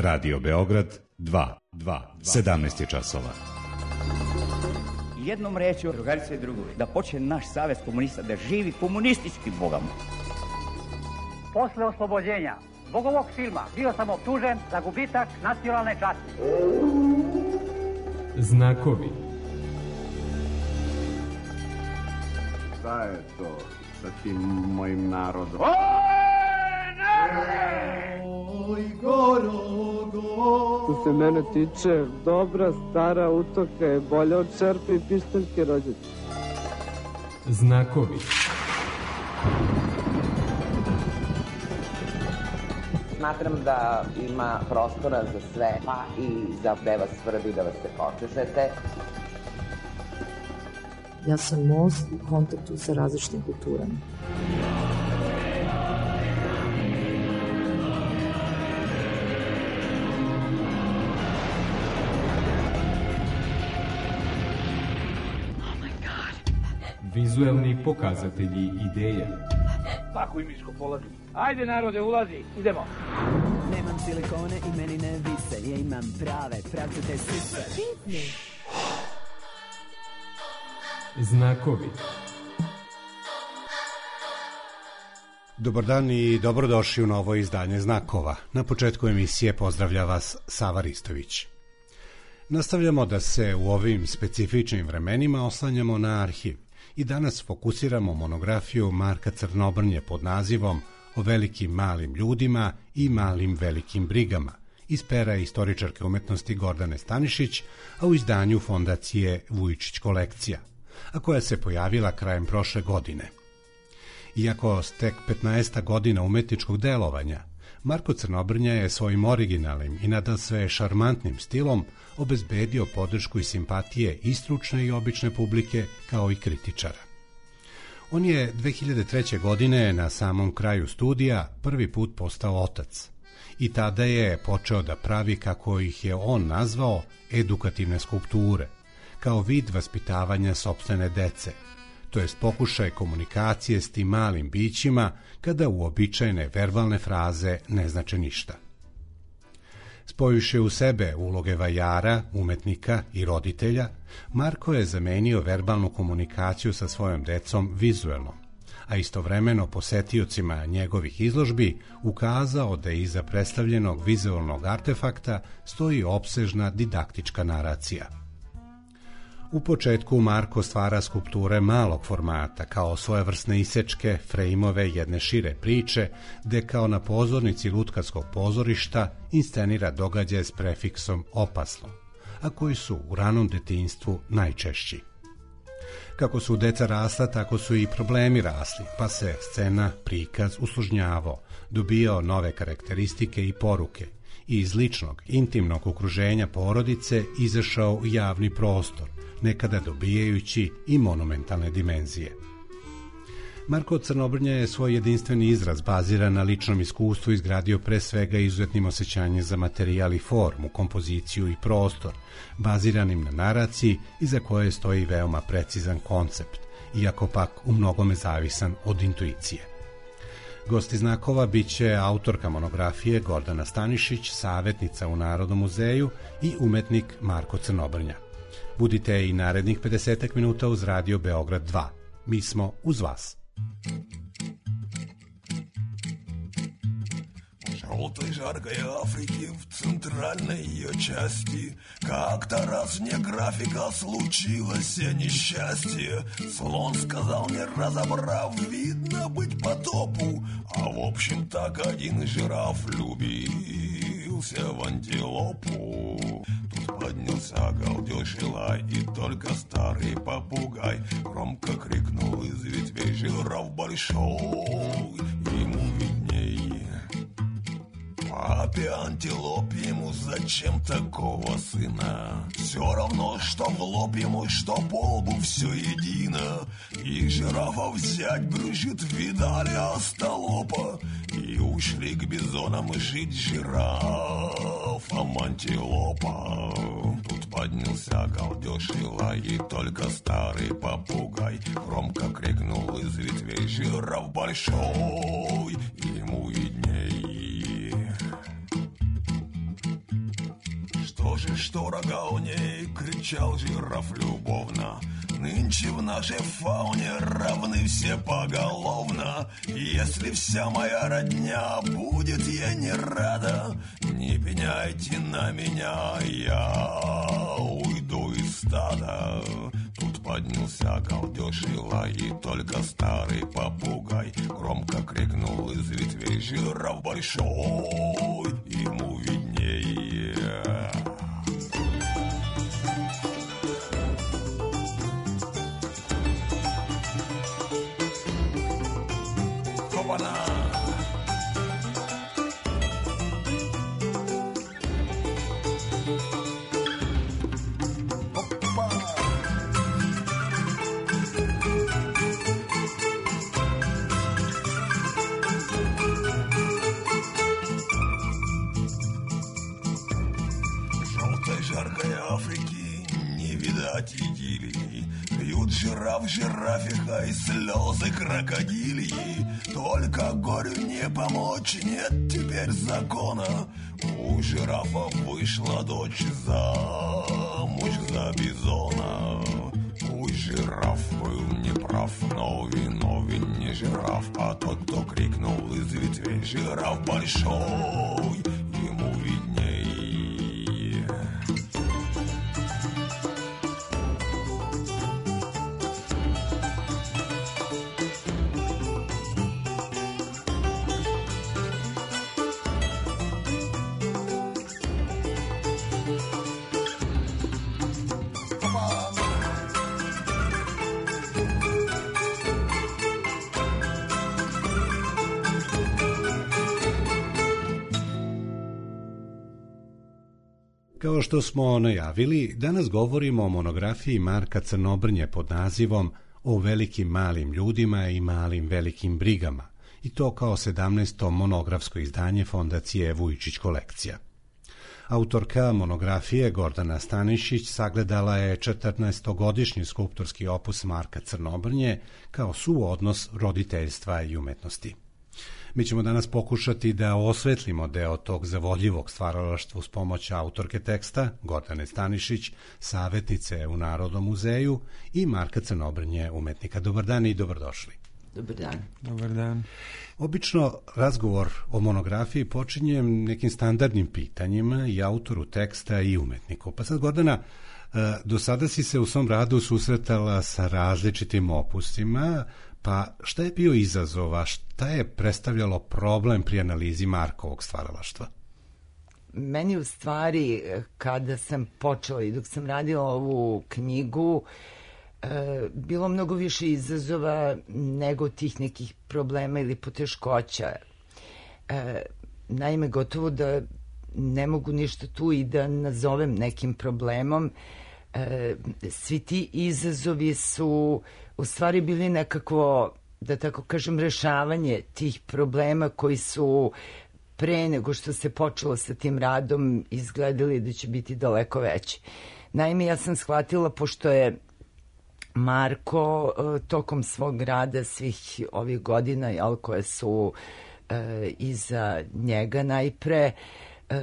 Radio Beograd 2, 17 je časova. Jednom rečju, drugarice i drugovi, da počne naš savez komunista da živi komunistički bogama. Posle oslobođenja zbog ovog filma bio sam optužen za gubitak nacionalne časti. Znakovi. Šta je to sa tim mojim narodom? Što se mene tiče, dobra stara utoka je bolja od čerpe i pištaljke rođačke. Znakovi. Smatram da ima prostora za sve, pa i za da vas svrbi, da vas se počešete. Ja sam most u kontaktu sa različitim kulturama. Vizuelni pokazatelji ideje. Tako i miško polazi. Ajde narode, ulazi, idemo. Nemam silikone i meni ne vise, ja imam prave pravcete sise. Znakovi. Dobar dan i dobrodošli u novo izdanje Znakova. Na početku emisije pozdravlja vas Sava Ristović. Nastavljamo da se u ovim specifičnim vremenima oslanjamo na arhiv i danas fokusiramo monografiju Marka Crnobrnje pod nazivom O velikim malim ljudima i malim velikim brigama iz pera istoričarke umetnosti Gordane Stanišić, a u izdanju Fondacije Vujčić kolekcija, a koja se pojavila krajem prošle godine. Iako stek 15. godina umetničkog delovanja, Marko Crnobrnja je svojim originalnim i nadasve šarmantnim stilom obezbedio podršku i simpatije i stručne i obične publike kao i kritičara. On je 2003. godine na samom kraju studija prvi put postao otac i tada je počeo da pravi, kako ih je on nazvao, edukativne skulpture, kao vid vaspitavanja sopstvene dece, to jest pokušaj komunikacije s tim malim bićima kada uobičajene verbalne fraze ne znače ništa. Spojuše u sebe uloge vajara, umetnika i roditelja, Marko je zamenio verbalnu komunikaciju sa svojom decom vizuelnom, a istovremeno posetiocima njegovih izložbi ukazao da iza predstavljenog vizualnog artefakta stoji opsežna didaktička naracija. U početku Marko stvara skulpture malog formata kao svojevrsne isečke, frejmove jedne šire priče, gde kao na pozornici Lutkarskog pozorišta inscenira događaje s prefiksom opasno, a koji su u ranom detinjstvu najčešći. Kako su deca rasla, tako su i problemi rasli, pa se scena, prikaz usložnjavao, dobijao nove karakteristike i poruke i iz ličnog, intimnog okruženja porodice izašao u javni prostor, nekada dobijajući i monumentalne dimenzije. Marko Crnobrnja je svoj jedinstveni izraz baziran na ličnom iskustvu izgradio pre svega izuzetnim osjećanjem za materijal i formu, kompoziciju i prostor, baziranim na naraciji iza koje stoji veoma precizan koncept, iako pak u mnogome zavisan od intuicije. Gosti Znakova biće autorka monografije Gordana Stanišić, savetnica u Narodnom muzeju i umetnik Marko Crnobrnja. Budite i narednih 50 minuta uz Radio Beograd 2. Mi smo uz vas. Желтой жаркой Африки в центральной ее части как-то раз мне графика случилось несчастье. Слон сказал, не разобрав, видно быть потопу. А в общем так один жираф влюбился в антилопу. Тут поднялся галдеж и лай, и только старый попугай громко крикнул из ветвей: жираф большой, ему виднее. Папе антилопе ему зачем такого сына? Все равно, что в лоб ему, что по лбу, все едино. И жирафа взять брюшит, видали остолопа. И ушли к бизонам жить жирафам антилопа. Тут поднялся галдеж и лай, и только старый попугай громко крикнул из ветвей: жираф большой, ему видней. же, что рога у ней, кричал жираф любовно. Нынче в нашей фауне равны все поголовно. Если вся моя родня будет ей не рада, не пеняйте на меня, я уйду из стада. Тут поднялся галдеж и лай, и только старый попугай громко крикнул из ветвей: жираф большой, ему виднее. Хопана! Жаркой Африки не видать идиллии. Пьют жираф жирафиха и слезы крокодильи. Только горю не помочь, нет теперь закона. У жирафа вышла дочь замуж за бизона. Пусть жираф был неправ, но виновен не жираф, а тот, кто крикнул из ветвей: жираф большой, ему видней. Kao što smo najavili, danas govorimo o monografiji Marka Crnobrnje pod nazivom O velikim malim ljudima i malim velikim brigama, i to kao 17. monografsko izdanje Fondacije Vujčić kolekcija. Autorka monografije Gordana Stanišić sagledala je 14-godišnji skulptorski opus Marka Crnobrnje kao suodnos roditeljstva i umetnosti. Mi ćemo danas pokušati da osvetlimo deo tog zavodljivog stvaralaštva uz pomoć autorke teksta Gordane Stanišić, savjetnice u Narodnom muzeju, i Marka Crnobrnje, umetnika. Dobar dan i dobrodošli. Dobar dan. Dobar dan. Obično razgovor o monografiji počinjem nekim standardnim pitanjima i autoru teksta i umetniku. Pa sad, Gordana, do sada si se u svom radu susretala sa različitim opusima, pa šta je bio izazov, a šta je predstavljalo problem pri analizi Markovog stvaralaštva? Meni u stvari, kada sam počela i dok sam radila ovu knjigu, bilo mnogo više izazova nego tih nekih problema ili poteškoća. Naime, gotovo da ne mogu ništa tu i da nazovem nekim problemom. Svi ti izazovi su u stvari bili nekakvo, da tako kažem, rešavanje tih problema koji su pre nego što se počelo sa tim radom izgledali da će biti daleko veći. Naime, ja sam shvatila, pošto je Marko tokom svog rada svih ovih godina, koje su iza njega najpre,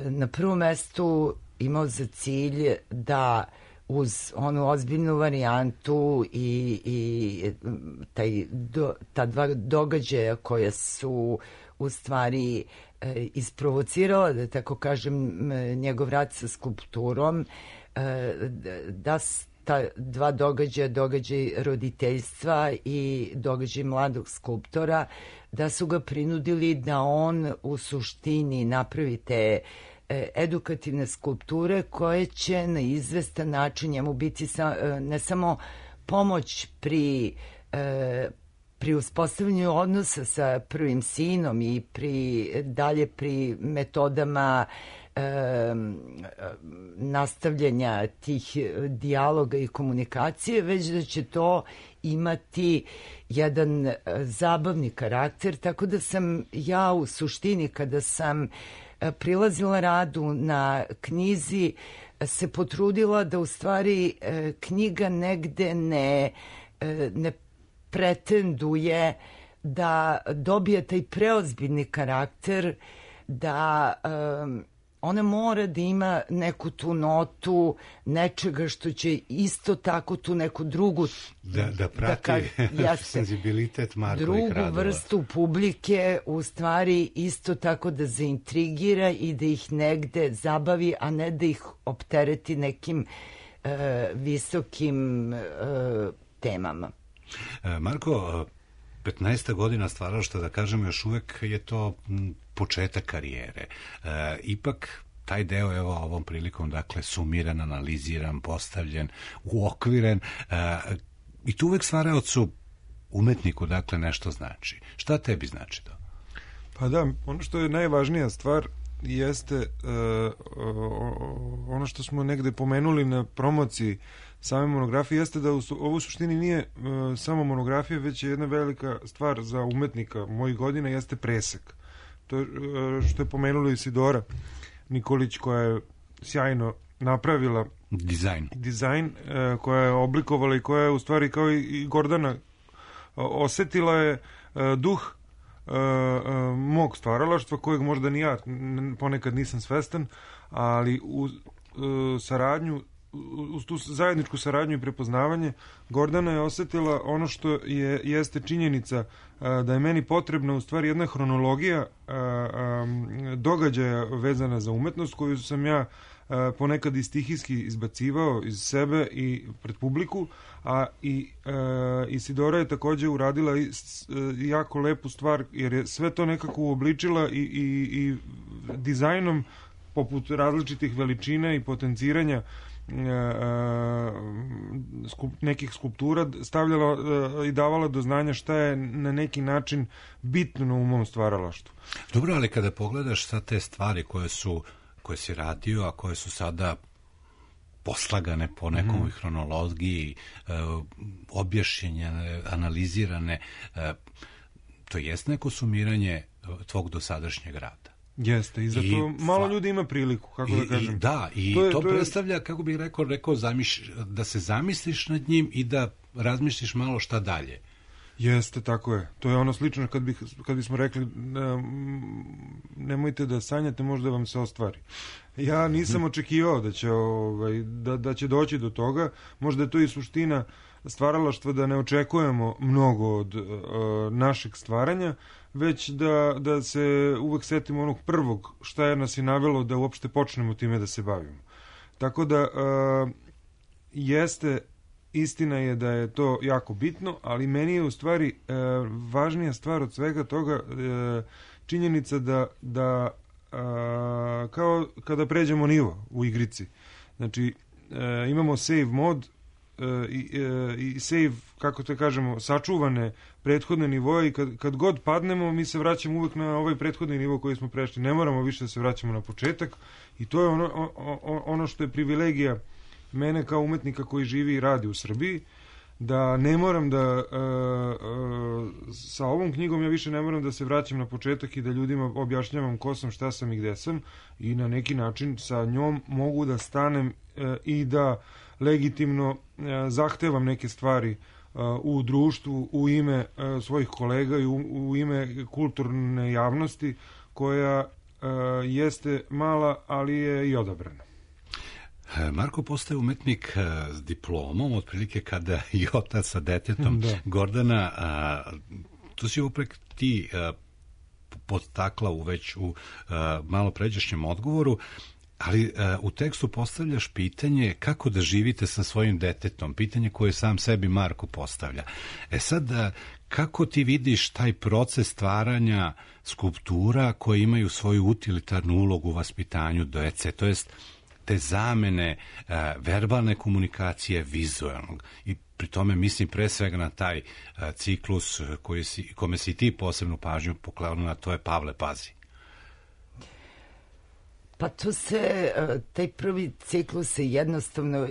na prvom mestu imao za cilj da uz onu ozbiljnu varijantu i ta dva događaja koja su u stvari isprovocirala, da tako kažem, njegov rad sa skulpturom, da ta dva događaja, događaj roditeljstva i događaj mladog skulptora, da su ga prinudili da on u suštini napravi te edukativne skulpture koje će na izvestan način njemu biti ne samo pomoć pri uspostavljanju odnosa sa prvim sinom i dalje pri metodama nastavljanja tih dijaloga i komunikacije, već da će to imati jedan zabavni karakter, tako da sam ja u suštini, kada sam prilazila radu na knjizi, se potrudila da u stvari knjiga negde ne pretenduje da dobije taj preozbiljni karakter, da ona mora da ima neku tu notu, nečega što će isto tako tu neku drugu... Da prati senzibilitet Markovih radova. Drugu vrstu publike, u stvari isto tako da zaintrigira i da ih negde zabavi, a ne da ih optereti nekim visokim temama. Marko, 15 godina stvaralaštva, da kažem, još uvek je to početak karijere. Ipak taj deo, evo, ovom prilikom, dakle, sumiran, analiziran, postavljen, uokviren, i tu uvek stvaraocu, umetniku, dakle, nešto znači. Šta tebi znači to? Pa da, ono što je najvažnija stvar jeste ono što smo negde pomenuli na promociji same monografije, jeste da ovo u suštini nije samo monografija, već je jedna velika stvar za umetnika mojih godina, jeste presek. To je što je pomenula Isidora Nikolić, koja je sjajno napravila dizajn, koja je oblikovala i koja je u stvari kao i Gordana osetila je duh mog stvaralaštva, kojeg možda ni ja ponekad nisam svestan, ali u saradnju, uz tu zajedničku saradnju i prepoznavanje, Gordana je osetila ono što jeste činjenica, da je meni potrebna u stvari jedna hronologija događaja vezana za umetnost, koju sam ja ponekad i stihijski izbacivao iz sebe i pred publiku, a i Isidora je takođe uradila jako lepu stvar, jer je sve to nekako uobličila i dizajnom, poput različitih veličina i potenciranja nekih skulptura, stavljala i davala do znanja šta je na neki način bitno u mom stvaralaštvu. Dobro, ali kada pogledaš sad te stvari koje si radio, a koje su sada poslagane po nekom hronologiji, objašnjene, analizirane, to jest neko sumiranje tvog dosadašnjeg rada. Jeste, i zato malo ljudi ima priliku, kako da kažem. I to predstavlja, kako bih rekao, da se zamisliš nad njim i da razmisliš malo šta dalje. Jeste, tako je. To je ono slično kad bismo rekli nemojte da sanjate, možda vam se ostvari. Ja nisam očekivao da će doći do toga. Možda je to i suština stvaralaštva, da ne očekujemo mnogo od našeg stvaranja, već da se uvek setimo onog prvog šta je nas i navelo da uopšte počnemo time da se bavimo. Tako da jeste, istina je da je to jako bitno, ali meni je u stvari važnija stvar od svega toga činjenica da kao kada pređemo nivo u igrici. Znači, imamo save mod i save, kako to kažemo, sačuvane prethodne nivoje, i kad god padnemo, mi se vraćamo uvek na ovaj prethodni nivo koji smo prešli. Ne moramo više da se vraćamo na početak, i to je ono što je privilegija mene kao umetnika koji živi i radi u Srbiji, da ne moram da sa ovom knjigom ja više ne moram da se vraćam na početak i da ljudima objašnjavam ko sam, šta sam i gde sam, i na neki način sa njom mogu da stanem i da legitimno zahtevam neke stvari u društvu, u ime svojih kolega i u ime kulturne javnosti, koja jeste mala, ali je i odabrana. Marko postaje umetnik s diplomom, otprilike kada i otac sa detetom. Gordana, tu si uprek ti podstakla već u malo pređašnjem odgovoru, ali u tekstu postavljaš pitanje kako da živite sa svojim detetom, pitanje koje sam sebi Marko postavlja. Sad, kako ti vidiš taj proces stvaranja skulptura koje imaju svoju utilitarnu ulogu u vaspitanju dece, to jest te zamene verbalne komunikacije vizualnog, i pri tome mislim pre svega na taj ciklus kome si ti posebnu pažnju poklonila, to je Pavle Pazi. Pa taj prvi ciklus se jednostavno,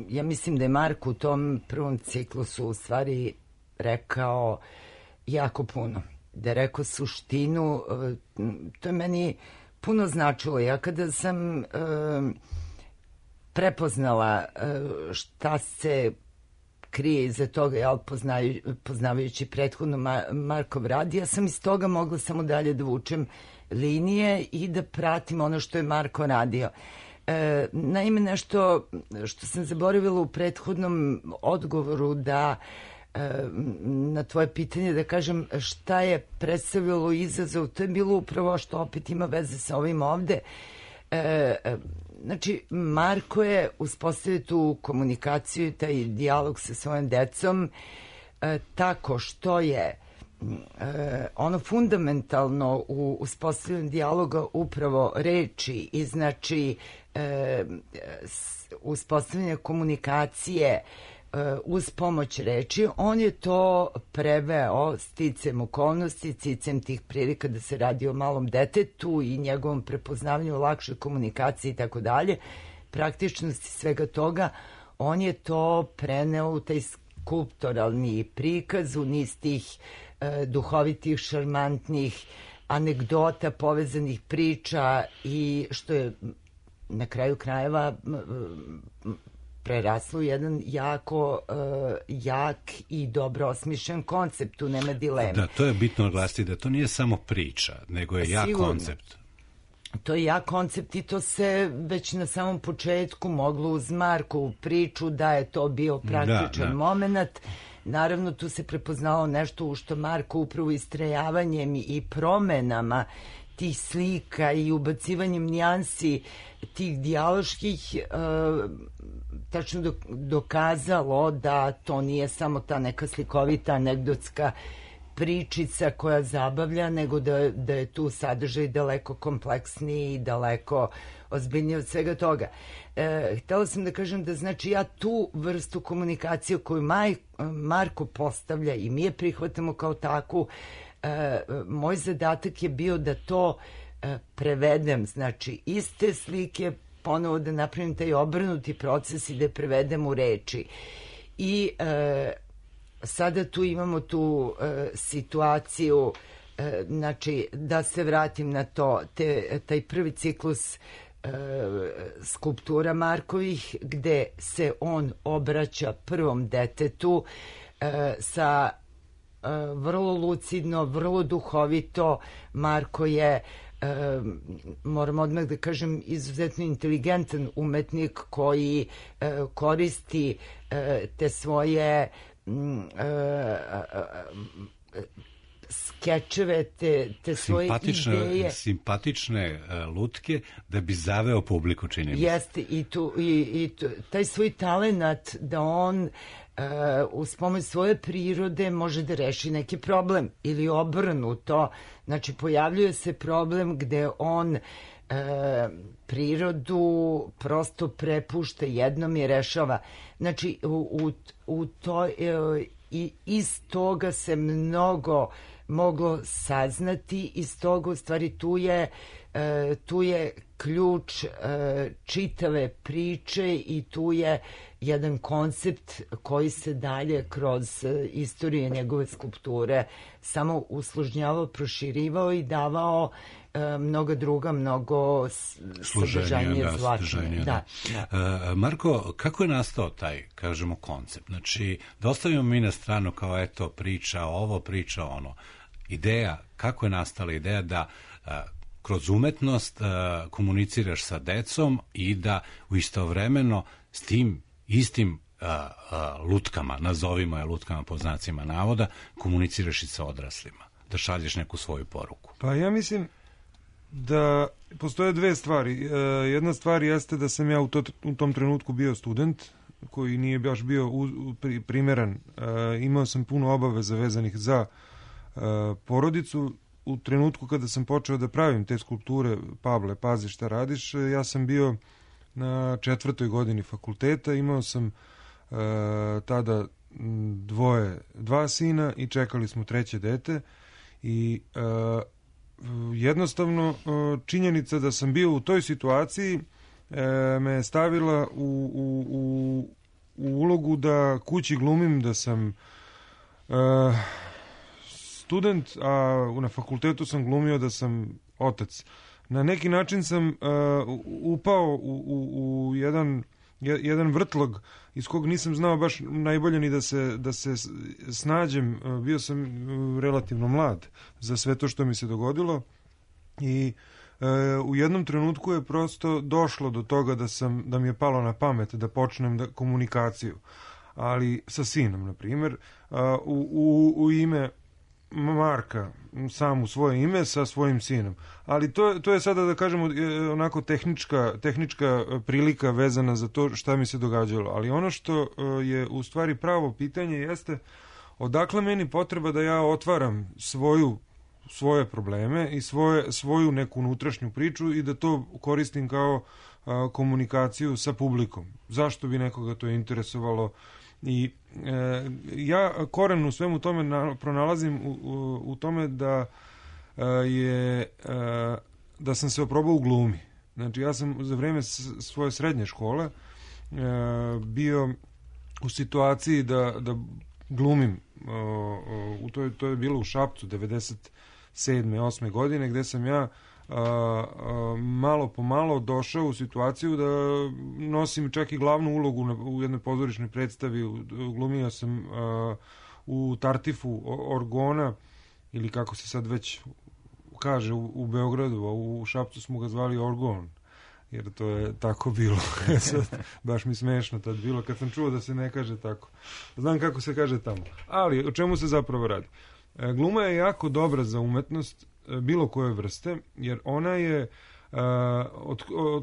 ja mislim da je Marko u tom prvom ciklusu u stvari rekao jako puno. Da je rekao suštinu, to je meni puno značilo. Ja kada sam prepoznala šta se krije iza toga, poznavajući prethodno Markov rad, ja sam iz toga mogla samo dalje da vučem linije i da pratim ono što je Marko radio. Naime, nešto što sam zaboravila u prethodnom odgovoru da na tvoje pitanje da kažem šta je predstavljalo izazov, to je bilo upravo što opet ima veze sa ovim ovde. Znači, Marko je uspostavio tu komunikaciju i taj dijalog sa svojom decom tako što je ono fundamentalno u uspostavljanju dijaloga upravo reči i znači uspostavljanje komunikacije uz pomoć reči, on je to preveo sticem okolnosti, sticem tih prilika da se radi o malom detetu i njegovom prepoznavanju, lakšoj komunikaciji i tako dalje, praktičnosti svega toga, on je to preneo u taj skulptoralni prikaz, u niz tih duhovitih, šarmantnih anegdota, povezanih priča i što je na kraju krajeva preraslo jedan jako jak i dobro osmišljen koncept, tu nema dileme. Da, to je bitno naglasiti da to nije samo priča, nego je jak koncept. To je jak koncept i to se već na samom početku moglo uz Markovu priču da je to bio praktičan moment. Naravno, tu se prepoznalo nešto u što Marko upravo istrajavanjem i promenama tih slika i ubacivanjem nijansi tih dijaloških tačno dokazalo da to nije samo ta neka slikovita anegdotska pričica koja zabavlja, nego da je tu sadržaj daleko kompleksniji i daleko ozbiljniji od svega toga. Htela sam da kažem da znači ja tu vrstu komunikacije koju Marko postavlja i mi je prihvatamo kao takvu, moj zadatak je bio da to prevedem, znači iste slike ponovo da napravim taj obrnuti proces i da je prevedem u reči. I sada tu imamo tu situaciju, znači da se vratim na to, taj prvi ciklus skulptura Markovih gde se on obraća prvom detetu sa vrlo lucidno, vrlo duhovito. Marko je, moram odmah da kažem, izuzetno inteligentan umetnik koji koristi te svoje skečeve, te svoje ideje. Simpatične lutke da bi zaveo publiku, čini mi se. Jeste, i taj svoj talenat da on uz pomoć svoje prirode može da reši neki problem ili obrnuto. Znači, pojavljuje se problem gde on prirodu prosto prepušta jednom i rešava. Znači, u to, i iz toga se mnogo moglo saznati, iz toga u stvari tu je ključ čitave priče i tu je jedan koncept koji se dalje kroz istoriju njegove skulpture samo usložnjavao, proširivao i davao mnoga druga, mnogo sadržajnije zlačenje. Da. Marko, kako je nastao taj, kažemo, koncept? Znači, da ostavimo mi na stranu kao eto priča ovo, priča ono. Ideja, kako je nastala ideja da kroz umetnost komuniciraš sa decom i da u istovremeno s tim istim lutkama, nazovimo je lutkama po znacima navoda, komuniciraš i sa odraslima, da šalješ neku svoju poruku? Pa ja mislim da postoje dve stvari. Jedna stvar jeste da sam ja u tom trenutku bio student koji nije baš bio primeran. Imao sam puno obaveza vezanih za porodicu. U trenutku kada sam počeo da pravim te skulpture, Pavle, pazi šta radiš, ja sam bio na 4. godini fakulteta, imao sam tada dva sina i čekali smo treće dete i jednostavno činjenica da sam bio u toj situaciji me je stavila u ulogu da kući glumim da sam student, a na fakultetu sam glumio da sam otac. Na neki način sam upao u jedan vrtlog iz kog nisam znao baš najbolje ni da se snađem. Bio sam relativno mlad za sve to što mi se dogodilo I u jednom trenutku je prosto došlo do toga da mi je palo na pamet da počnem komunikaciju, ali sa sinom, na primjer, u ime Marka, sam u svoje ime sa svojim sinom. Ali to je sada, da kažemo, onako tehnička prilika vezana za to šta mi se događalo. Ali ono što je u stvari pravo pitanje jeste odakle meni potreba da ja otvaram svoje probleme i svoju neku unutrašnju priču i da to koristim kao komunikaciju sa publikom. Zašto bi nekoga to interesovalo? I ja koren u svemu tome pronalazim u tome da sam se oprobao u glumi. Znači, ja sam za vreme svoje srednje škole bio u situaciji da glumim. To je bilo u Šapcu 97. 8. godine, gde sam ja malo po malo došao u situaciju da nosim čak i glavnu ulogu u jednoj pozorišnoj predstavi. Glumio sam u Tartifu Orgona, ili kako se sad već kaže u Beogradu, a u Šapcu smo ga zvali Orgon, jer to je tako bilo. Baš mi smešno tad bilo kad sam čuo da se ne kaže tako. Znam kako se kaže tamo. Ali o čemu se zapravo radi? Gluma je jako dobra za umetnost bilo koje vrste, jer ona je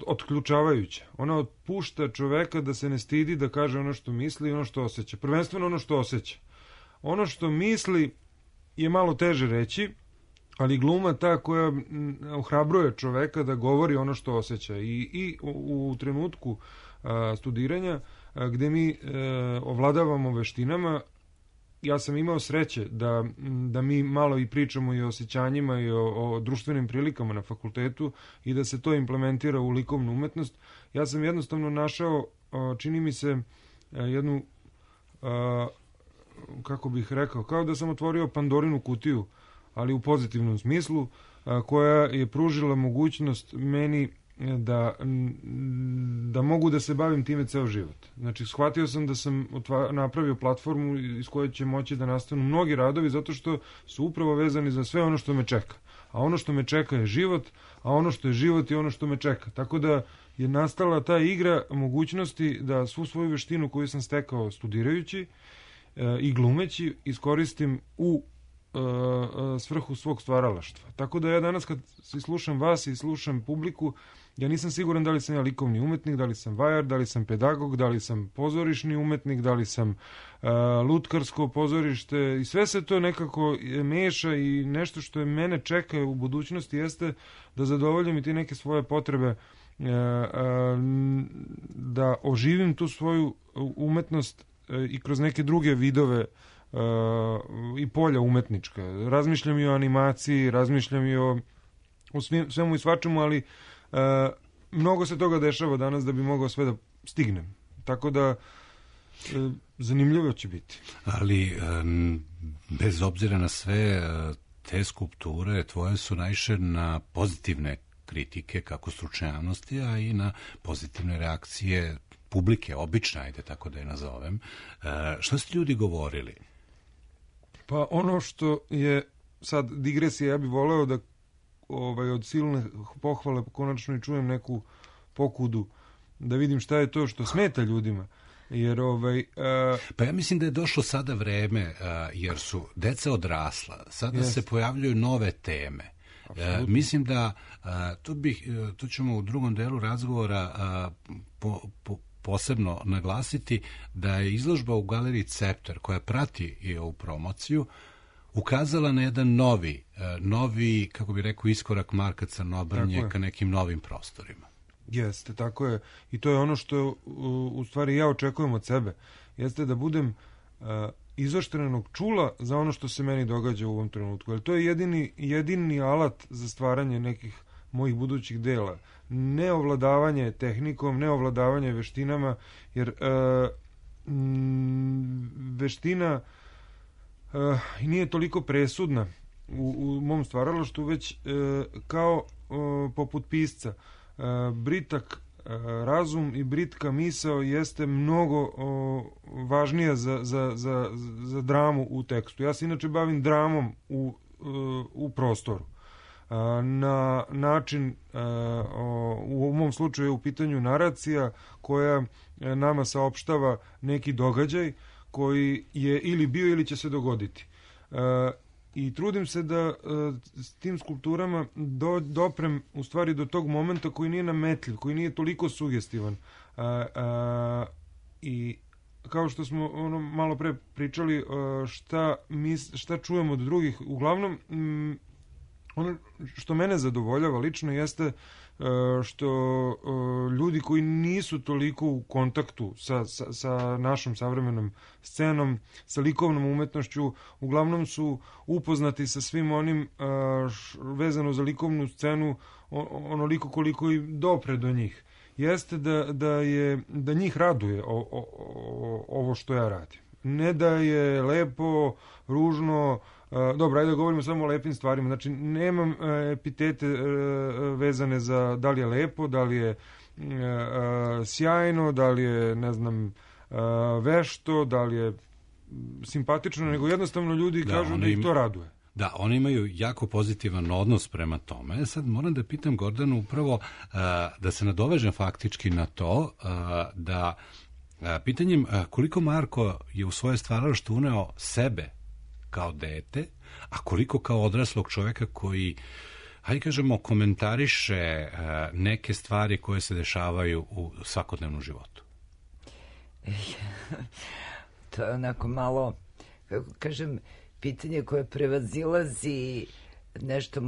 otključavajuća. Ona otpušta čoveka da se ne stidi da kaže ono što misli i ono što osjeća. Prvenstveno ono što osjeća. Ono što misli je malo teže reći, ali gluma ta koja ohrabruje čoveka da govori ono što osjeća. I u trenutku studiranja gde mi ovladavamo veštinama, ja sam imao sreće da mi malo i pričamo i o osjećanjima i o društvenim prilikama na fakultetu i da se to implementira u likovnu umetnost. Ja sam jednostavno našao, čini mi se, jednu, kako bih rekao, kao da sam otvorio Pandorinu kutiju, ali u pozitivnom smislu, koja je pružila mogućnost meni da mogu da se bavim time ceo život. Znači, shvatio sam da sam napravio platformu iz koje će moći da nastanu mnogi radovi, zato što su upravo vezani za sve ono što me čeka. A ono što me čeka je život, a ono što je život je ono što me čeka. Tako da je nastala ta igra mogućnosti da svu svoju veštinu koju sam stekao studirajući i glumeći iskoristim u svrhu svog stvaralaštva. Tako da ja danas kad slušam vas i slušam publiku, ja nisam siguran da li sam ja likovni umetnik, da li sam vajar, da li sam pedagog, da li sam pozorišni umetnik, da li sam lutkarsko pozorište i sve se to nekako meša i nešto što je mene čeka u budućnosti jeste da zadovoljim i ti neke svoje potrebe da oživim tu svoju umetnost i kroz neke druge vidove i polja umetnička. Razmišljam i o animaciji, razmišljam i o svemu i svačemu, ali mnogo se toga dešava danas da bi mogao sve da stignem. Tako da zanimljivo će biti. Ali bez obzira na sve te skulpture tvoje su naišle na pozitivne kritike kako stručne javnosti, a i na pozitivne reakcije publike, obične, ajde tako da je nazovem. Šta su ljudi govorili? Pa ono što je sad digresija, ja bih voleo da od silne pohvale konačno i čujem neku pokudu, da vidim šta je to što smeta ljudima. Jer pa ja mislim da je došlo sada vreme, jer su deca odrasla, sada se pojavljuju nove teme. Mislim da to ćemo u drugom delu razgovora posebno naglasiti da je izložba u galeriji Cepter, koja prati i ovu promociju, ukazala na jedan novi, kako bi rekao, iskorak Marka Crnobrnje ka nekim novim prostorima. Jeste, tako je. I to je ono što u stvari ja očekujem od sebe. Jeste da budem izoštrenog čula za ono što se meni događa u ovom trenutku. Jer to je jedini alat za stvaranje nekih mojih budućih dela. Ne ovladavanje tehnikom, ne ovladavanje veštinama, jer veština nije toliko presudna u mom stvaralaštvu, već kao poput pisca. Britak razum i britka misao jeste mnogo važnija za dramu u tekstu. Ja se inače bavim dramom u prostoru. na način, u mom slučaju u pitanju naracija koja nama saopštava neki događaj koji je ili bio ili će se dogoditi. I trudim se da s tim skulpturama doprem u stvari do tog momenta koji nije nametljiv, koji nije toliko sugestivan. I kao što smo malo pre pričali šta čujemo od drugih, uglavnom ono što mene zadovoljava lično jeste što ljudi koji nisu toliko u kontaktu sa našom savremenom scenom, sa likovnom umetnošću, uglavnom su upoznati sa svim onim vezano za likovnu scenu onoliko koliko i dopre do njih. Jeste da njih raduje ovo što ja radim. Ne da je lepo, ružno, dobro, ajde da govorimo samo o lepim stvarima. Znači, nemam epitete vezane za da li je lepo, da li je sjajno, da li je, ne znam, vešto, da li je simpatično, nego jednostavno ljudi kažu da ih to raduje. Da, oni imaju jako pozitivan odnos prema tome. Sad moram da pitam Gordanu upravo da se nadovežem faktički na to da pitanjem koliko Marko je u svoje stvaralaštvo uneo sebe kao dete, a koliko kao odraslog čoveka koji, hajde kažemo, komentariše neke stvari koje se dešavaju u svakodnevnom životu. To je onako malo, kako kažem, pitanje koje prevazilazi nešto.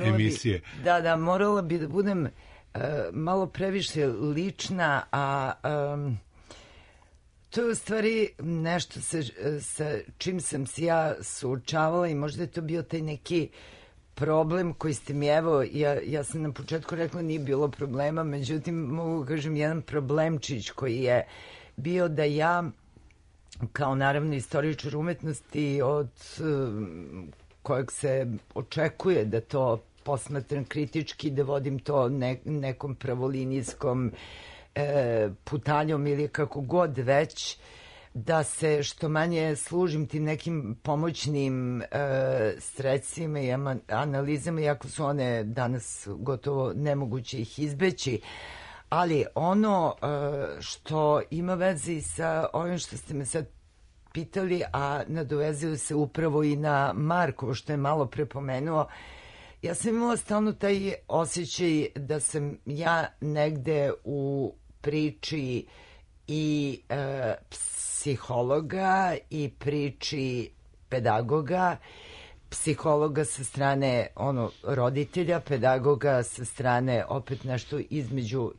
Emisije. Da, morala bi da budem malo previše lična, a to je u stvari nešto sa čim sam se ja suočavala i možda je to bio taj neki problem koji ste mi, evo, ja sam na početku rekla nije bilo problema, međutim mogu kažem jedan problemčić koji je bio da ja kao naravno istoričar umetnosti od kojeg se očekuje da to posmatram kritički, da vodim to nekom pravolinijskom putanjom ili kako god već, da se što manje služim tim nekim pomoćnim sredstvima i analizama, iako su one danas gotovo nemoguće ih izbeći. Ali ono što ima veze sa ovim što ste me sad pitali, a nadovezuju se upravo i na Markovo što je malo prepomenuo, ja sam imala stalno taj osjećaj da sam ja negde u priči i psihologa i priči pedagoga, psihologa sa strane roditelja, pedagoga sa strane opet nešto između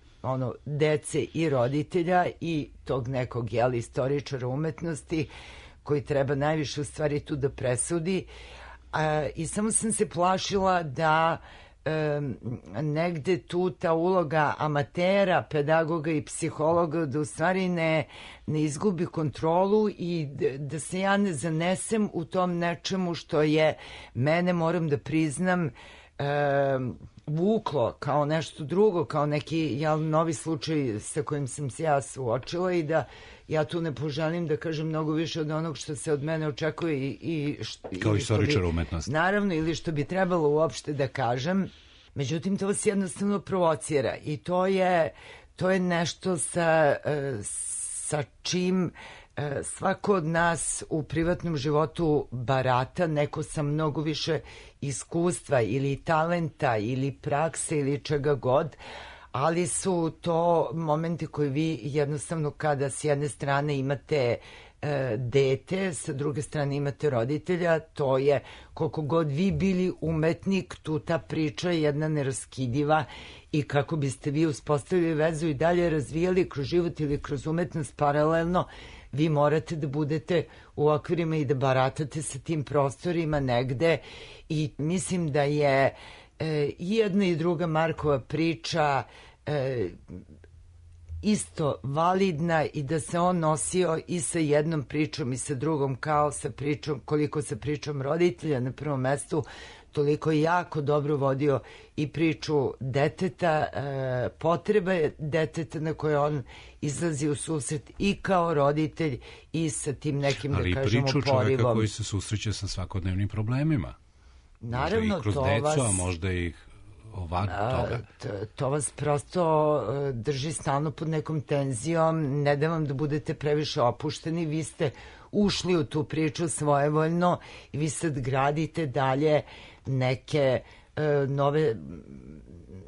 dece i roditelja i tog nekog istoričara umetnosti koji treba najviše u stvari tu da presudi. I samo sam se plašila da negde tu ta uloga amatera, pedagoga i psihologa da u stvari ne izgubi kontrolu i da se ja ne zanesem u tom nečemu što je mene, moram da priznam, vuklo kao nešto drugo, kao neki novi slučaj sa kojim sam se ja suočila i da ja tu ne poželim da kažem mnogo više od onog što se od mene očekuje kao istoričar umetnosti. Naravno, ili što bi trebalo uopšte da kažem. Međutim, to vas jednostavno provocira i to je nešto sa čim svako od nas u privatnom životu barata, neko sa mnogo više iskustva ili talenta ili prakse ili čega god, ali su to momenti koji vi jednostavno kada s jedne strane imate dete, sa druge strane imate roditelja, to je koliko god vi bili umetnik, tu ta priča je jedna neraskidiva i kako biste vi uspostavili vezu i dalje razvijali kroz život ili kroz umetnost paralelno, vi morate da budete u okvirima i da baratate sa tim prostorima negde i mislim da je i jedna i druga Markova priča isto validna i da se on nosio i sa jednom pričom i sa drugom, kao sa pričom, koliko sa pričom roditelja na prvom mestu, toliko jako dobro vodio i priču deteta, potrebe deteta na koje on izlazi u susret i kao roditelj i sa tim nekim, ali da kažemo, priču porivom. Čoveka koji se susreće sa svakodnevnim problemima. Naravno, možda i kroz decu, a možda i van toga. To vas prosto drži stalno pod nekom tenzijom, ne da vam da budete previše opušteni, vi ste ušli u tu priču svojevoljno i vi sad gradite dalje neke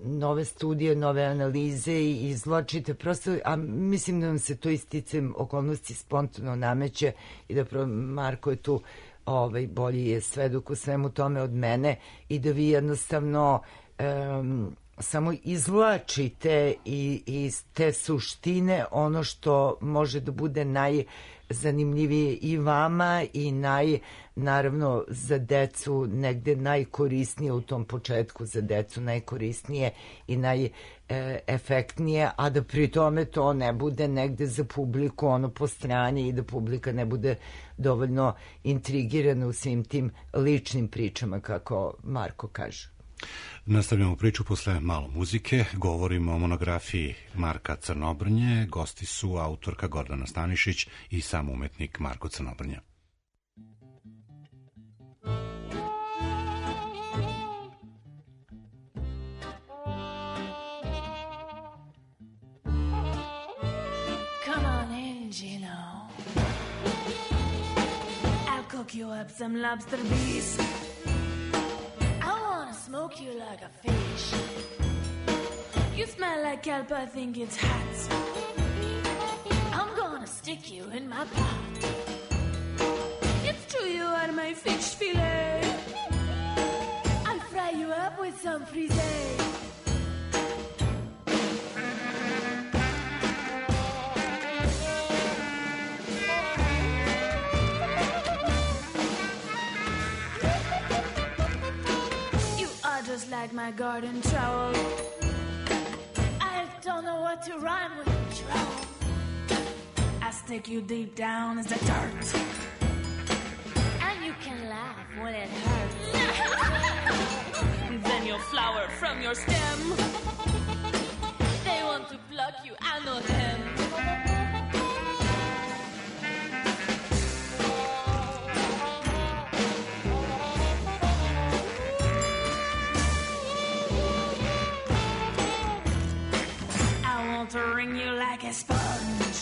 nove studije, nove analize i izvlačite prosto, a mislim da vam se to isticajem okolnosti spontano nameće i da Marko je tu bolji je svedok u svemu tome od mene i da vi jednostavno samo izvlačite iz te suštine ono što može da bude najzanimljivije i vama i naravno za decu negde najkorisnije u tom početku, za decu najkorisnije i najefektnije, a da pri tome to ne bude negde za publiku ono po strani i da publika ne bude dovoljno intrigirana u svim tim ličnim pričama, kako Marko kaže. Nastavljamo priču posle malo muzike, govorimo o monografiji Marka Crnobrnje, gosti su autorka Gordana Stanišić i sam umetnik Marko Crnobrnja. Come on in, Gino. I'll cook you up some lobster beef. Smoke you like a fish. You smell like kelp, I think it's hot. I'm gonna stick you in my pot. It's true you are my fish fillet. I'll fry you up with some frisee. Just like my garden trowel. I don't know what to rhyme with trowel. I stick you deep down as the dirt, and you can laugh when it hurts. Then you'll flower from your stem. They want to pluck you, I know them. To wring you like a sponge.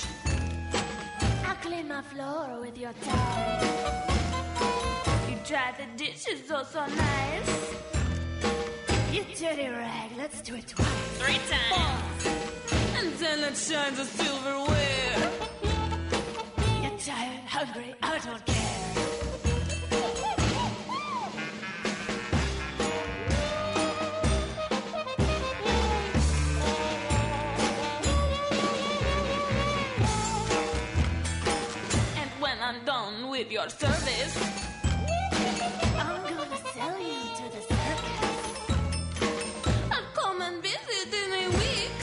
I'll clean my floor with your tongue. You dry the dishes oh so nice. You dirty rag, let's do it twice. 3 times. And then it shines a silverware. You're tired, hungry, I don't care. With your service, I'm gonna sell you to the circus. I'll come and visit in a week.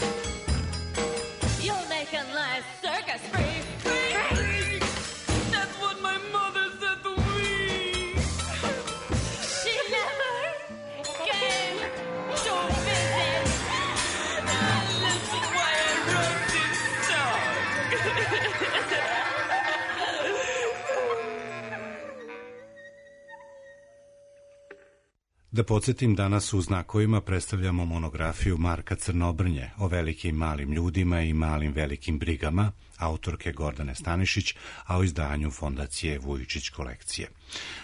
You'll make a nice circus freak. That's what my mother said to me. She never came to visit. That's why I wrote this song. Da podsjetim, danas u Znakovima predstavljamo monografiju Marka Crnobrnje o velikim malim ljudima i malim velikim brigama, autorke Gordane Stanišić, a o izdanju Fondacije Vujičić kolekcije.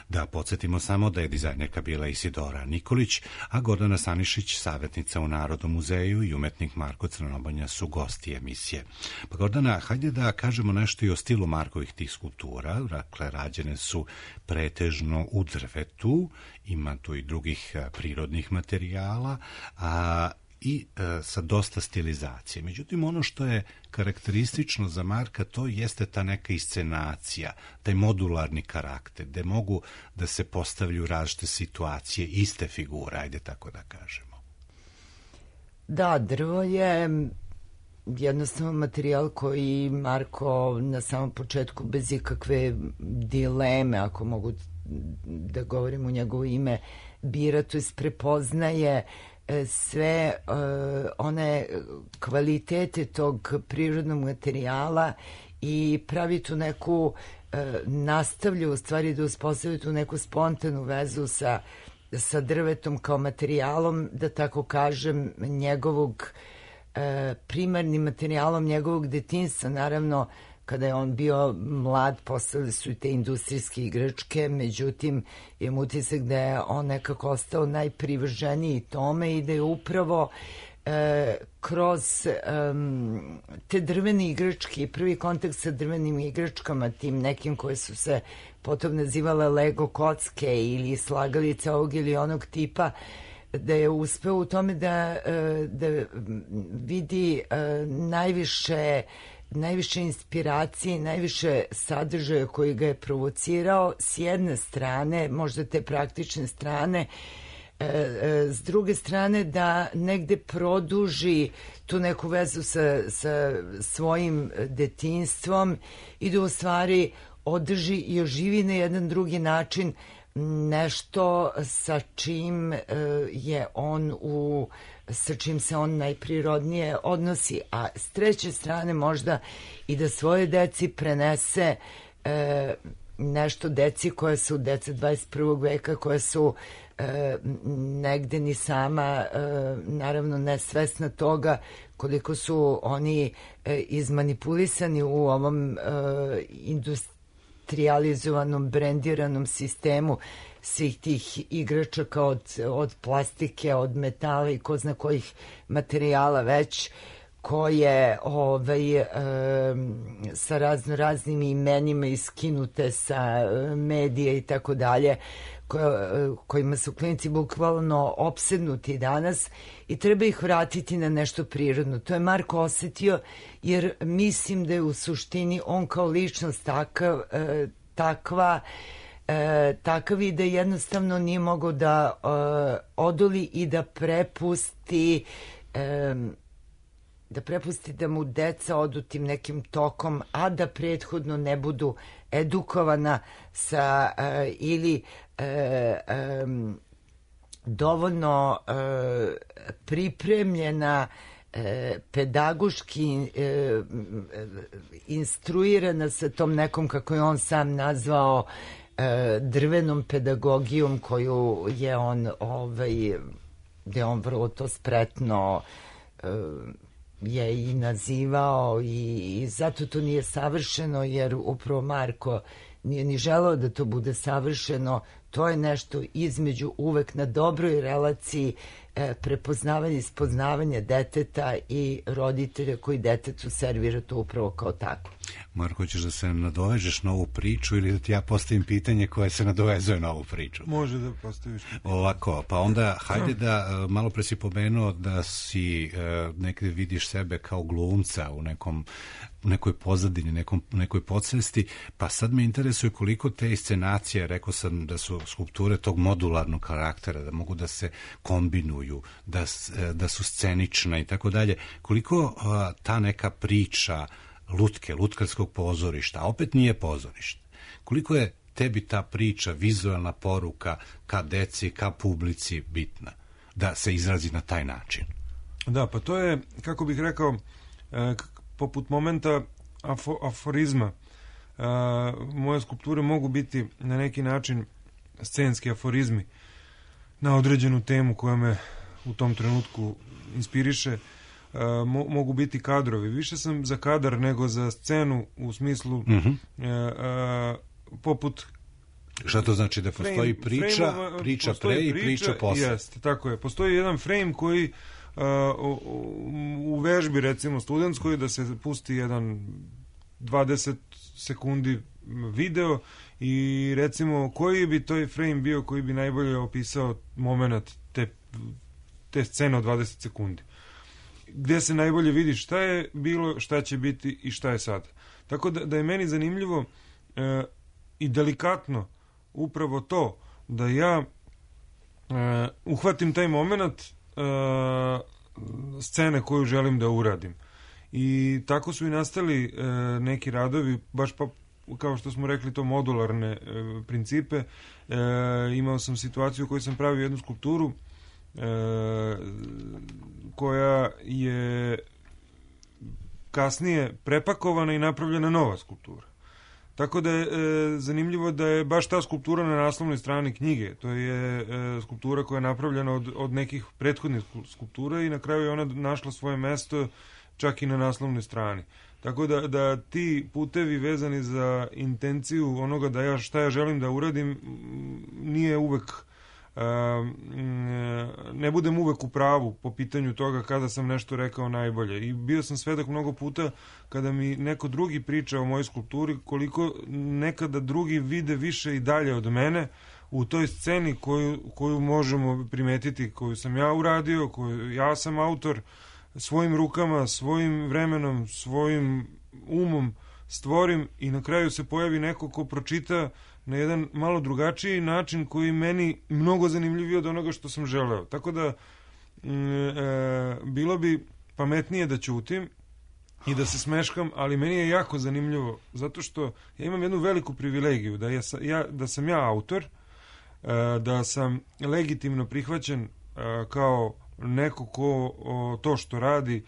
Da podsjetimo samo da je dizajnerka bila Isidora Nikolić, a Gordana Stanišić, savjetnica u Narodnom muzeju, i umetnik Marko Crnobrnja su gosti emisije. Pa Gordana, hajde da kažemo nešto i o stilu Markovih tih skulptura. Dakle, rađene su pretežno u drvetu, ima tu i drugih prirodnih materijala, i sa dosta stilizacije. Međutim, ono što je karakteristično za Marka, to jeste ta neka iscenacija, taj modularni karakter, gde mogu da se postavljaju različite situacije, iste figure, ajde tako da kažemo. Da, drvo je jednostavno materijal koji Marko na samom početku bez ikakve dileme, ako mogu da govorim u njegovo ime, bira, to jest prepoznaje sve one kvalitete tog prirodnog materijala i pravi tu neku nastavlja u stvari da uspostavi tu neku spontanu vezu sa sa drvetom kao materijalom, da tako kažem, njegovog primarnim materijalom njegovog detinjstva. Naravno, kada je on bio mlad, postale su i te industrijske igračke, međutim, imam utisak da je on nekako ostao najprivrženiji tome i da je upravo kroz te drvene igračke i prvi kontakt sa drvenim igračkama, tim nekim koje su se potom nazivale Lego kocke ili slagalice ovog ili onog tipa, da je uspeo u tome da vidi najviše inspiracije i najviše sadržaja koji ga je provocirao, s jedne strane, možda te praktične strane, s druge strane da negde produži tu neku vezu sa svojim detinjstvom i da u stvari održi i oživi na jedan drugi način nešto sa čim je on sa čim se on najprirodnije odnosi, a s treće strane možda i da svoje deci prenese nešto deci koja su deca 21. veka, koja su negde ni sama naravno nesvesna toga koliko su oni izmanipulisani u ovom industrializovanom, brendiranom sistemu svih tih igračaka od plastike, od metala i ko zna kojih materijala već, koje sa raznim imenima iskinute sa medija i tako dalje, kojima su klinici bukvalno opsednuti danas i treba ih vratiti na nešto prirodno. To je Marko osetio, jer mislim da je u suštini on kao ličnost takav i da jednostavno nije mogao da odoli i da prepusti da mu deca odu tim nekim tokom, a da prethodno ne budu edukovana sa ili dovoljno pripremljena, pedagoški instruirana sa tom nekom, kako je on sam nazvao, drvenom pedagogijom koju je on gde on vrlo to spretno je i nazivao i zato to nije savršeno, jer upravo Marko nije ni želeo da to bude savršeno. To je nešto između, uvek na dobroj relaciji prepoznavanja i spoznavanja deteta i roditelja koji detetu servira to upravo kao tako. Marko, hoćeš da se nadovežeš na ovu priču ili da ti ja postavim pitanje koje se nadovezuje na ovu priču? Može da postaviš. Ovako, pa onda hajde da, malo pre si pomenuo da si nekde vidiš sebe kao glumca u nekoj pozadini, nekoj podsvesti, pa sad me interesuje koliko te inscenacije, rekao sam da su skulpture tog modularnog karaktera, da mogu da se kombinuju, da su scenične i tako dalje, koliko ta neka priča lutkarskog pozorišta, a opet nije pozorište, koliko je tebi ta priča, vizualna poruka ka deci, ka publici bitna, da se izrazi na taj način? Da, pa to je, kako bih rekao, poput momenta aforizma. Moje skulpture mogu biti na neki način scenski aforizmi na određenu temu koja me u tom trenutku inspiriše. Mogu biti kadrovi. Više sam za kadar nego za scenu u smislu poput... Šta to znači? Da postoji priča pre i priča posle? Jeste, tako je. Postoji jedan frame koji u vežbi, recimo studentskoj, da se pusti jedan 20 sekundi video i recimo koji bi toj frame bio koji bi najbolje opisao moment te scene od 20 sekundi. Gde se najbolje vidi šta je bilo, šta će biti i šta je sad. Tako da je meni zanimljivo i delikatno upravo to da ja uhvatim taj moment scene koju želim da uradim. I tako su i nastali neki radovi, baš pa kao što smo rekli, to modularne principe. Imao sam situaciju u kojoj sam pravio jednu skulpturu koja je kasnije prepakovana i napravljena nova skulptura. Tako da je zanimljivo da je baš ta skulptura na naslovnoj strani knjige. To je skulptura koja je napravljena od nekih prethodnih skulptura i na kraju je ona našla svoje mesto čak i na naslovnoj strani. Tako da ti putevi vezani za intenciju onoga da šta ja želim da uradim nije uvek ne budem uvek u pravu po pitanju toga kada sam nešto rekao najbolje. I bio sam svedok mnogo puta kada mi neko drugi priča o mojoj skulpturi, koliko nekada drugi vide više i dalje od mene u toj sceni koju možemo primetiti, koju sam ja uradio, koju ja sam autor, svojim rukama, svojim vremenom, svojim umom stvorim i na kraju se pojavi neko ko pročita na jedan malo drugačiji način koji meni mnogo zanimljiviji od onoga što sam želeo. Tako da bilo bi pametnije da ćutim i da se smeškam, ali meni je jako zanimljivo zato što ja imam jednu veliku privilegiju da sam ja autor, da sam legitimno prihvaćen kao neko ko to što radi,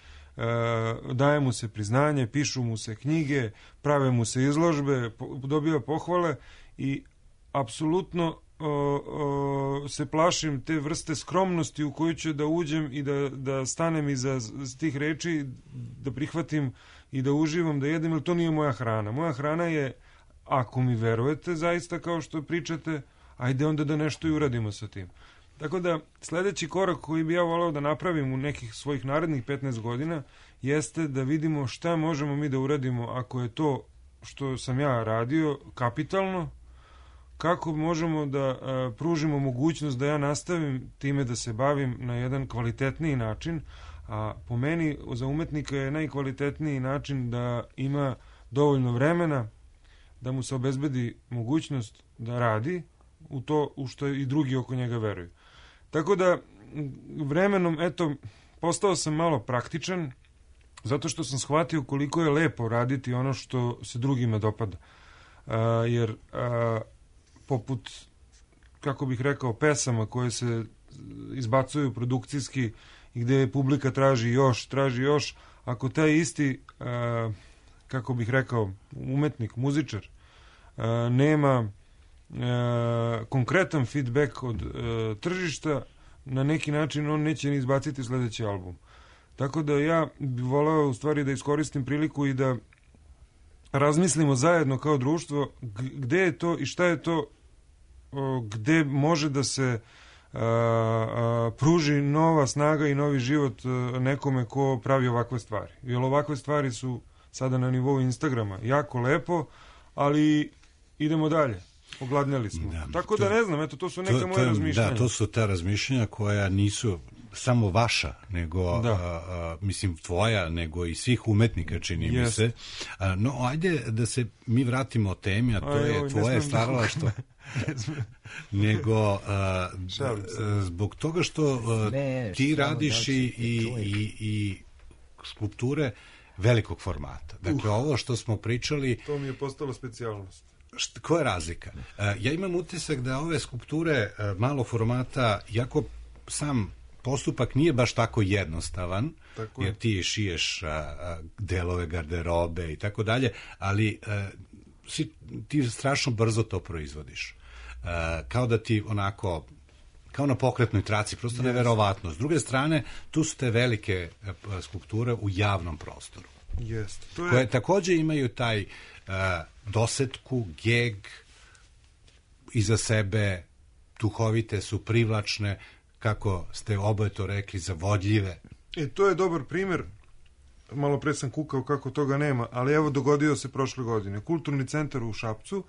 daje mu se priznanje, pišu mu se knjige, prave mu se izložbe, dobija pohvale i apsolutno se plašim te vrste skromnosti u koju ću da uđem i da stanem iza tih reči, da prihvatim i da uživam, da jedem, jer to nije moja hrana. Moja hrana je, ako mi verujete zaista kao što pričate, ajde onda da nešto i uradimo sa tim. Tako da sledeći korak koji bi ja voleo da napravim u nekih svojih narednih 15 godina jeste da vidimo šta možemo mi da uradimo ako je to što sam ja radio kapitalno, kako možemo da pružimo mogućnost da ja nastavim time da se bavim na jedan kvalitetniji način, a po meni za umetnika je najkvalitetniji način da ima dovoljno vremena, da mu se obezbedi mogućnost da radi u to u što i drugi oko njega veruju. Tako da vremenom, postao sam malo praktičan, zato što sam shvatio koliko je lepo raditi ono što se drugima dopada. Jer poput, kako bih rekao, pesama koje se izbacuju produkcijski i gde publika traži još, ako taj isti, kako bih rekao, umetnik, muzičar, nema konkretan feedback od tržišta, na neki način on neće ni izbaciti sledeći album. Tako da ja bih voleo u stvari da iskoristim priliku i da razmislimo zajedno kao društvo gde je to i šta je to gde može da se pruži nova snaga i novi život nekome ko pravi ovakve stvari. Jer ovakve stvari su sada na nivou Instagrama jako lepo, ali idemo dalje. Ogladnjali smo. Tako da ne znam, to su neka moja razmišljanja. Da, to su ta razmišljanja koja nisu samo vaša, nego, mislim, tvoja, nego i svih umetnika, čini mi se. No, ajde da se mi vratimo o temi, a to je tvoje stvaralaštvo. Nego zbog toga što ti radiš i skulpture velikog formata. Dakle, ovo što smo pričali... To mi je postalo specijalnost. Koja je razlika? Ja imam utisak da ove skulpture malog formata, jako sam postupak nije baš tako jednostavan, jer ti šiješ delove garderobe i tako dalje, ali ti strašno brzo to proizvodiš. Kao da ti onako, kao na pokretnoj traci, prosto neverovatno. S druge strane, tu su te velike skulpture u javnom prostoru. Koje takođe imaju taj dosetku, geg, iza sebe, duhovite su, privlačne, kako ste oboje to rekli, zavodljive. To je dobar primer. Malo pre sam kukao kako toga nema, ali evo dogodio se prošle godine. Kulturni centar u Šapcu,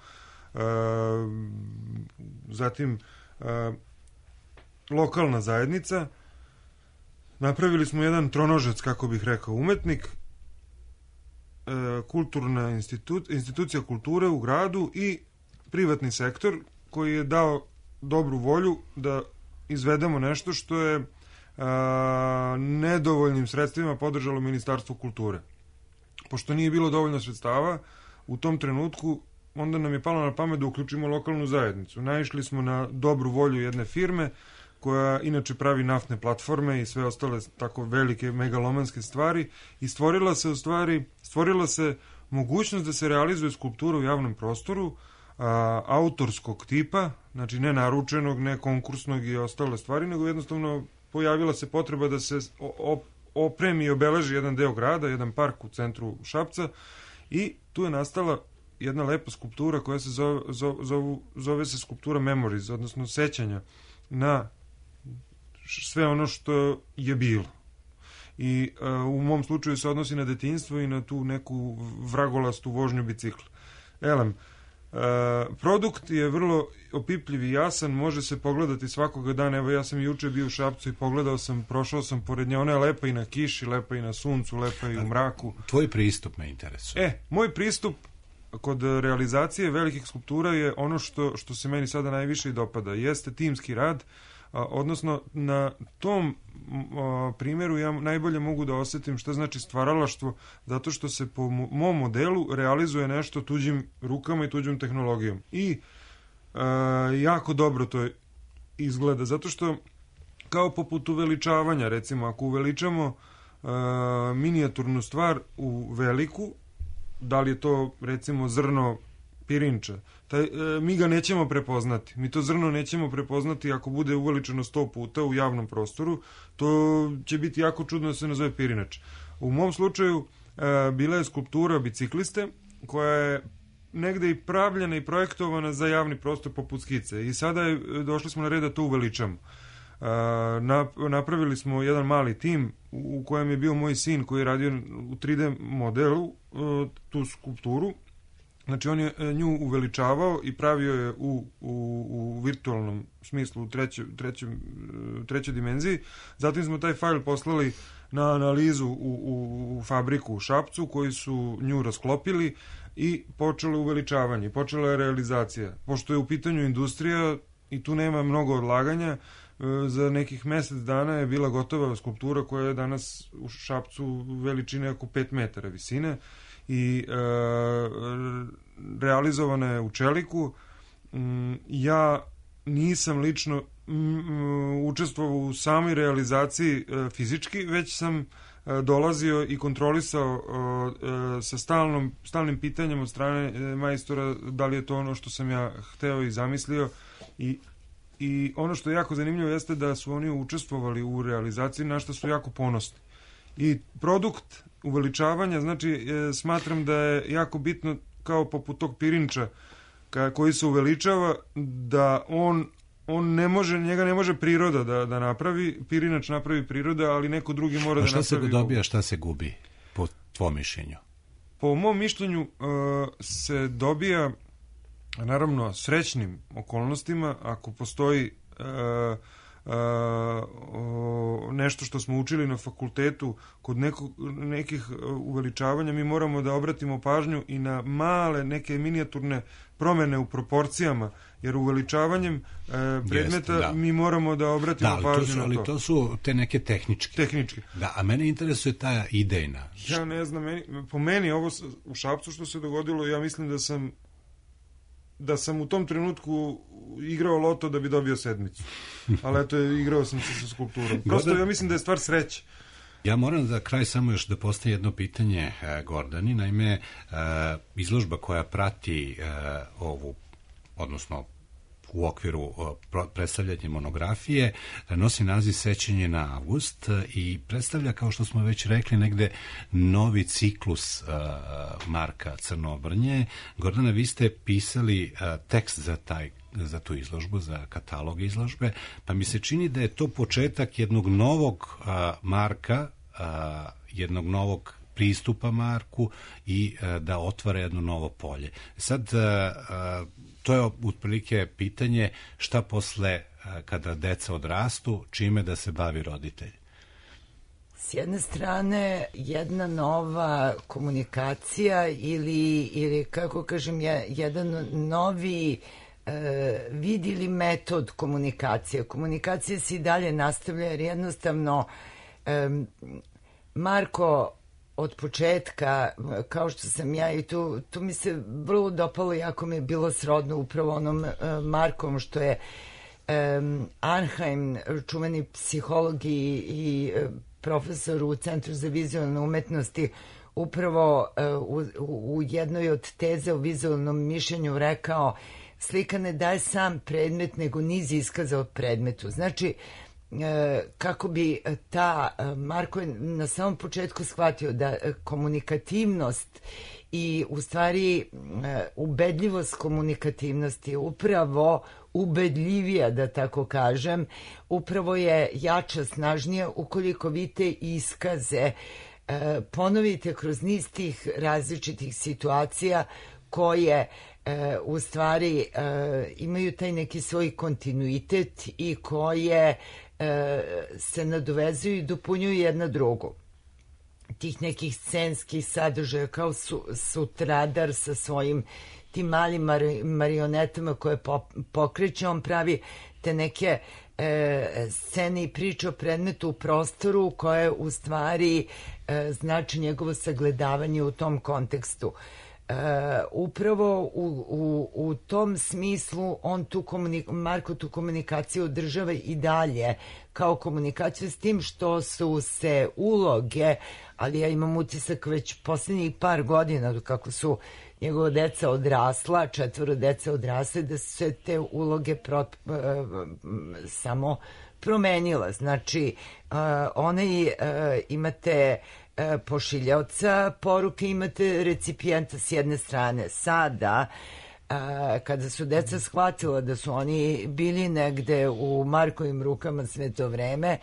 zatim lokalna zajednica, napravili smo jedan tronožac, kako bih rekao, umetnik, kulturna institucija kulture u gradu i privatni sektor koji je dao dobru volju da izvedemo nešto što je nedovoljnim sredstvima podržalo Ministarstvo kulture. Pošto nije bilo dovoljno sredstava u tom trenutku, onda nam je palo na pamet da uključimo lokalnu zajednicu. Naišli smo na dobru volju jedne firme koja inače pravi naftne platforme i sve ostale tako velike megalomanske stvari i stvorila se mogućnost da se realizuje skulptura u javnom prostoru autorskog tipa, znači ne naručenog, ne konkursnog i ostale stvari, nego jednostavno pojavila se potreba da se opremi i obeleži jedan deo grada, jedan park u centru Šapca, i tu je nastala jedna lepa skulptura koja se zove se skulptura Memories, odnosno sećanja na sve ono što je bilo. I u mom slučaju se odnosi na detinjstvo i na tu neku vragolastu vožnju bicikla. Produkt je vrlo opipljiv i jasan, može se pogledati svakoga dana. Evo, ja sam juče bio u Šapcu i pogledao sam, prošao sam pored nje, ona je lepa i na kiši, lepa i na suncu, lepa i u mraku. Tvoj pristup me interesuje. Moj pristup kod realizacije velikih skulptura je ono što se meni sada najviše i dopada, jeste timski rad, odnosno na tom primjeru ja najbolje mogu da osetim šta znači stvaralaštvo, zato što se po mom modelu realizuje nešto tuđim rukama i tuđom tehnologijom. I jako dobro to izgleda, zato što kao poput uveličavanja, recimo ako uveličamo minijaturnu stvar u veliku, da li je to recimo zrno pirinča, mi ga nećemo prepoznati. Mi to zrno nećemo prepoznati ako bude uveličeno 100 puta u javnom prostoru, to će biti jako čudno da se nazove pirinač. U mom slučaju bila je skulptura bicikliste koja je negde i pravljena i projektovana za javni prostor poput skice i sada došli smo na red da to uveličamo. Napravili smo jedan mali tim u kojem je bio moj sin koji je radio u 3D modelu tu skulpturu. Znači on je nju uveličavao i pravio je u virtualnom smislu, u trećoj dimenziji. Zatim smo taj fajl poslali na analizu u fabriku u Šapcu, koji su nju rasklopili i počelo uveličavanje, počela je realizacija. Pošto je u pitanju industrija i tu nema mnogo odlaganja, za nekih mesec dana je bila gotova skulptura koja je danas u Šapcu veličine oko 5 metara visine i realizovana je u čeliku. Ja nisam lično učestvovao u samoj realizaciji fizički, već sam dolazio i kontrolisao sa stalnim pitanjem od strane majstora da li je to ono što sam ja hteo i zamislio. I ono što je jako zanimljivo jeste da su oni učestvovali u realizaciji, na što su jako ponosni. I produkt uveličavanja, znači smatram da je jako bitno, kao poput tog pirinča koji se uveličava, da on ne može, njega ne može priroda da napravi, pirinač napravi priroda, ali neko drugi mora da napravi. A šta se dobija, šta se gubi, po tvom mišljenju? Po mom mišljenju se dobija, naravno, srećnim okolnostima, ako postoji nešto što smo učili na fakultetu kod nekih uveličavanja, mi moramo da obratimo pažnju i na male neke minijaturne promene u proporcijama, jer uveličavanjem predmeta mi moramo da obratimo pažnju na to. Ali to su te neke tehničke. Da, a mene interesuje ta idejna. Ja ne znam, po meni ovo u Šapcu što se dogodilo, ja mislim da sam u tom trenutku igrao loto da bi dobio sedmicu. Ali eto, igrao sam se sa skulpturom. Prosto ja mislim da je stvar sreće. Ja moram za kraj samo još da postavim jedno pitanje Gordani. Naime, izložba koja prati ovu, odnosno u okviru predstavljanja monografije, nosi naziv Sećanje na avgust i predstavlja, kao što smo već rekli, negde novi ciklus Marka Crnobrnje. Gordana, vi ste pisali tekst za tu izložbu, za katalog izložbe, pa mi se čini da je to početak jednog novog Marka, jednog novog pristupa Marku i da otvara jedno novo polje. Sad, to je otprilike pitanje šta posle kada deca odrastu, čime da se bavi roditelj. S jedne strane, jedna nova komunikacija ili kako kažem, jedan novi vid ili metod komunikacije. Komunikacija se i dalje nastavlja jer jednostavno Marko od početka, kao što sam ja, i tu mi se vrlo dopalo, jako mi je bilo srodno upravo onom Markom što je Arnheim, čuveni psiholog i profesor u Centru za vizualne umetnosti, upravo u jednoj od teze o vizualnom mišljenju rekao: slika ne daje sam predmet, nego niz iskaza od predmetu. Znači, kako bi Marko je na samom početku shvatio da komunikativnost i u stvari ubedljivost komunikativnosti je upravo ubedljivija, da tako kažem, upravo je jača, snažnija ukoliko vi te iskaze ponovite kroz niz tih različitih situacija koje u stvari imaju taj neki svoj kontinuitet i koje se nadovezuju i dopunjuju jedna drugu. Tih nekih scenskih sadržaja kao Sutradar sa svojim tim malim marionetama koje pokreće, on pravi te neke scene i priče o predmetu u prostoru koje u stvari znači njegovo sagledavanje u tom kontekstu. Upravo u tom smislu on Marko tu komunikaciju održava i dalje kao komunikaciju, s tim što su se uloge, ali ja imam utisak već posljednjih par godina kako su njegova deca odrasla, 4 dece odrasle, da su se te uloge samo promenila. Znači, imate pošiljaoca poruke, imate recipijenta s jedne strane. Sada, kada su deca shvatila da su oni bili negde u Markovim rukama sve to vreme,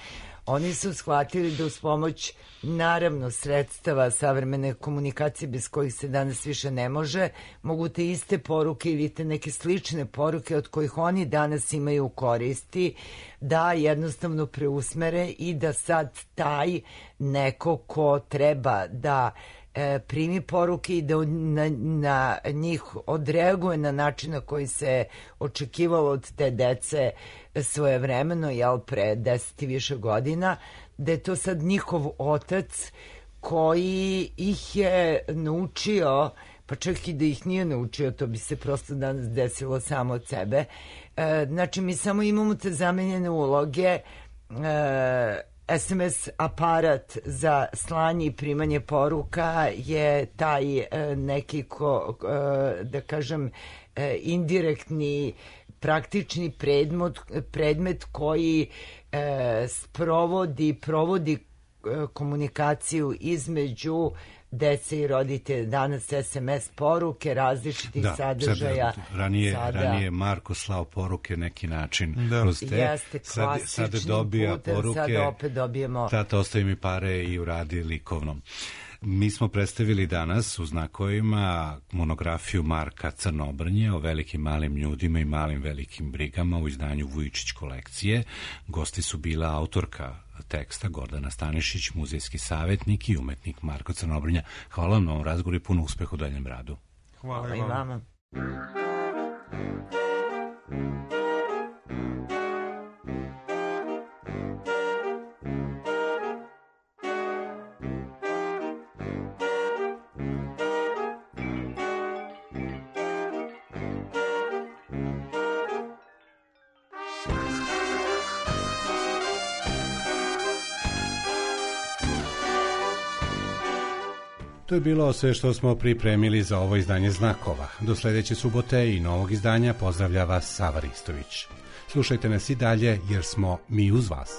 oni su shvatili da uz pomoć, naravno, sredstava savremene komunikacije bez kojih se danas više ne može, mogu te iste poruke ili te neke slične poruke od kojih oni danas imaju koristi, da jednostavno preusmere i da sad taj neko ko treba da primi poruke i da na njih odreaguje na način na koji se očekivalo od te dece svojevremeno, pre 10 i više godina, da je to sad njihov otac koji ih je naučio, pa čak i da ih nije naučio, to bi se prosto danas desilo samo od sebe. Znači, mi samo imamo te zamenjene uloge. SMS aparat za slanje i primanje poruka je taj neki, da kažem, indirektni, praktični predmet koji provodi komunikaciju između dece i roditelja. Danas SMS poruke različitih sadržaja. Ranije Marko slao poruke neki način kroz te. Jeste, sad dobija poruke. Sad opet dobijemo. Tata, ostavi mi pare i uradi likovnom. Mi smo predstavili danas u znakovima monografiju Marka Crnobrnje o velikim malim ljudima i malim velikim brigama u izdanju Vujičić kolekcije. Gosti su bila autorka teksta Gordana Stanišić, muzejski savjetnik i umetnik Marko Crnobrnja. Hvala vam na ovom razgovoru i puno uspeha u daljem radu. Hvala i vama. To je bilo sve što smo pripremili za ovo izdanje Znakova. Do sledeće subote i novog izdanja pozdravlja vas Sava Ristović. Slušajte nas i dalje jer smo mi uz vas.